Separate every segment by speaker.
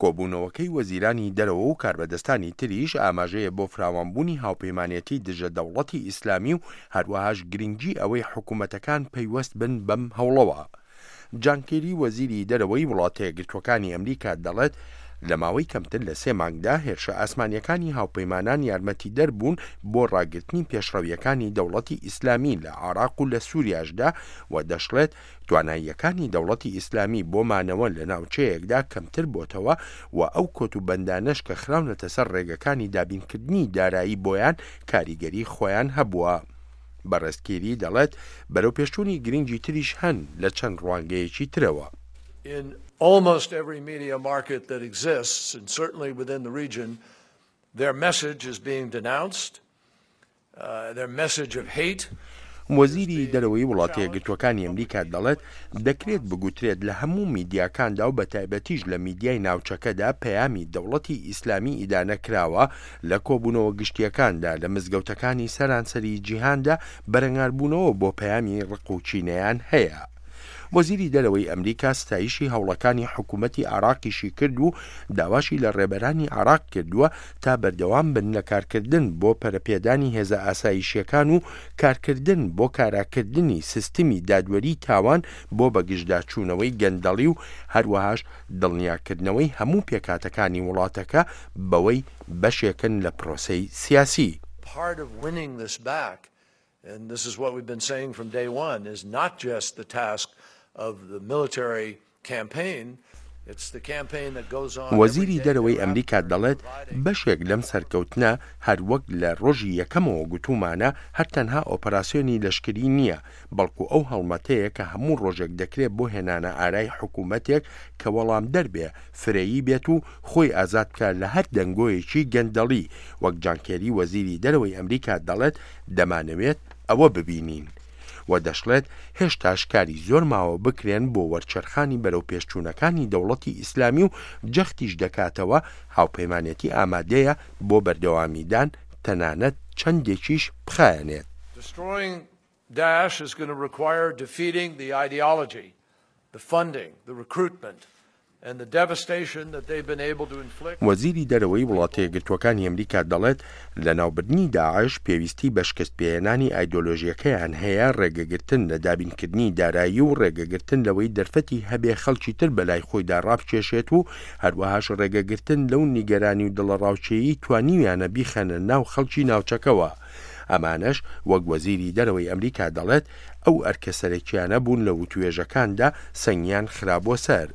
Speaker 1: کۆبوونەوەکەی وەزیرانی دەرەوە و کاربەدەستانی تریش ئاماژەیە بۆ فراوانبوونی هاوپەیمانێتی دژە دەوڵەتی ئیسلامی و هەروەهاش گرنگی ئەوەی حکومەتەکان پەیوەست بن بەم هەوڵەوە. جان کێری وەزیری دەرەوەی وڵاتەیەکگرتووەکانی ئەمریکا دەڵێت لە ماوەی کەمتر لە سێ مانگدا هێرشە ئاسمانییەکانی هاوپەیمانان یارمەتیدەر بوون بۆ ڕاگرتنی پێشڕەوییەکانی دەوڵەتی ئیسلامی لە عێراق و لە سوریاشدا و دەشڵێت تواناییەکانی دەوڵەتی ئیسلامی بۆ مانەوە لە ناوچەیەکدا کەمتر بۆتەوە و ئەو کۆتوبەندانەش کە خراونەتە سەر ڕێگەکانی دابینکردنی دارایی بۆیان کاریگەری خۆیان هەبووە. بەڕێز کیری دەڵێت بەرەوپێشچوونی گرنگی تریش هەن لە چەند ڕوانگەیەکی ترەوە.
Speaker 2: In almost every media market that exists, and certainly within the region, their message is being denounced.
Speaker 1: وەزیری دەرەوەی وڵاتەیەکگرتووەکانی ئەمریکا دەڵێت، دەکرێت بگوترێت لە هەموو میدیاکاندا و بەتایبەتیش لە میدیای ناوچەکەدا پەیامی دەوڵەتی ئیسلامی ئیدانە کراوە، لە کۆبوونەوە گشتییەکاندا لە مزگەوتەکانی سەرانسەری جیهاندا بەرەنگاربوونەوە بۆ پەیامی ڕق و کینەیان هەیە. وەزیری دەرەوەی ئەمریکا ستایشی هەوڵەکانی حکوومەتی عێراقیشی کرد و داواشی لە ڕێبەرانی عێراق کردووە تا بەردەوام بن لە کارکردن بۆ پەرەپێدانی هێزە ئاسایشییەکان و کارکردن بۆ کاراکردنی سیستمی دادوەری تاوان بۆ بەگژداچوونەوەی گەندەڵی و هەروەهاش دڵنیاکردنەوەی هەموو پێکهاتەکانی وڵاتەکە بەوەی بەشێکن لە پرۆسەی سیاسی.
Speaker 2: Part of winning this back And this is what we've been saying from day one, is not just the task of the military campaign, it's the campaign that goes on every
Speaker 1: وەزیری
Speaker 2: day
Speaker 1: دەرەوەی
Speaker 2: thereafter
Speaker 1: ئەمریکا
Speaker 2: in
Speaker 1: دەڵێت،
Speaker 2: providing.
Speaker 1: بەشێک لەم سەرکەوتنە، هەر وەک لە ڕۆژی یەکەمەوە گوتوومانە، هەر تەنها ئۆپەراسیۆنی لەشکری نییە، بەڵکو ئەو هەڵمەتەیە کە هەموو ڕۆژێک دەکرێ بۆ هێنانەئارای حکوومەتێک کە وەڵامدەر بێ، فرەیی بێت و خۆی ئازاد بکا لە هەر دەنگۆیەکی گەندەڵی، وەک جان کێری وەزیری دەرەوەی ئەمریکا دەڵێت، دەمانەوێت ئەوە ببینین. و دەشڵێت، هێشتاش کاری زۆر ماوە بکرێن بۆ وەرچەرخانی بەرەوپێشچوونەکانی دەوڵەتی ئیسلامی و جەختیش دەکاتەوە هاوپەیمانێتی ئامادەیە بۆ بەردەوامیدان تەنانەت چەندێکیش بخایەنێت.
Speaker 2: Destroying Daesh is gonna require defeating the ideology, the funding, the recruitment and the devastation that they've been able to inflict.
Speaker 1: وەزیری دەرەوەی وڵاتەیەکگرتووەکانی ئەمریکا دەڵێت، لەناوبردنی داعش پێویستی بە شکستپێهێنانی ئایدۆلۆژییەکەیان هەیە، ڕێگەگرتن لە دابینکردنی دارایی و ڕێگەگرتن لەوەی دەرفەتی هەبێ خەڵکی تر بەلای خۆیدا ڕابکێشێت و هەروەهاش ڕێگەگرتن لەو نیگەرانی و دڵەڕاوکێیەی توانیویانە بیخەنە ناو خەڵکی ناوچەکەوە. ئەمانەش وەک وەزیری دەرەوەی ئەمریکا دەڵێت، ئەو ئەرکە سەرەکیانە بوون لە وتوێژەکاندا سەنگیان خرابووە سەر.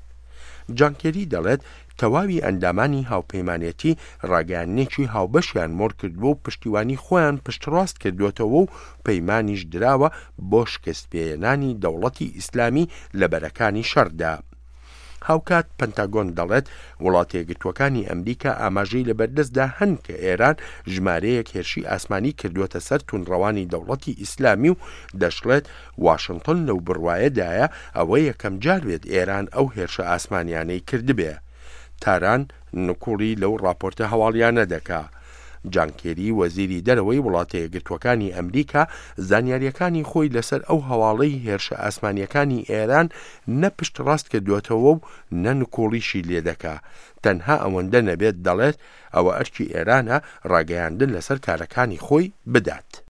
Speaker 1: جان کێری دەڵێت، تەواوی ئەندامانی هاوپەیمانێتی ڕاگەیاندنێکی هاوبەشیان مۆر کردووە و پشتیوانی خۆیان پشتڕاست کردووەتەوە و پەیمانیش دراوە بۆ شکستپێهێنانی دەوڵەتی ئیسلامی لە بەرەکانی شەڕدا. هاوکات پنتاگۆن دەڵێت، وڵاتەیەکگرتووەکانی ئەمریکا ئاماژەی لەبەردەستدا هەن کە ئێران ژمارەیەک هێرشی ئاسمانی کردووەتە سەر توندڕەوانی دەوڵەتی ئیسلامی و دەشڵێت، واشنتۆن لەو بڕوایەدایە ئەوە یەکەمجار بێت ئێران ئەو هێرشە ئاسمانیانەی کردبێ. تاران نکوڵی لەو ڕاپۆرتە هەواڵیانە دەکا. جان کێری وەزیری دەرەوەی وڵاتەیەکگرتووەکانی ئەمریکا زانیارییەکانی خۆی لەسەر ئەو هەواڵەی هێرشە ئاسمانییەکانی ئێران نە پشتڕاست کردووەتەوە و نە نکوڵیشی لێدەکا تەنها ئەوەندە نەبێت دەڵێت ئەوە ئەرکی ئێرانە ڕاگەیاندن لەسەر کارەکانی خۆی بدات.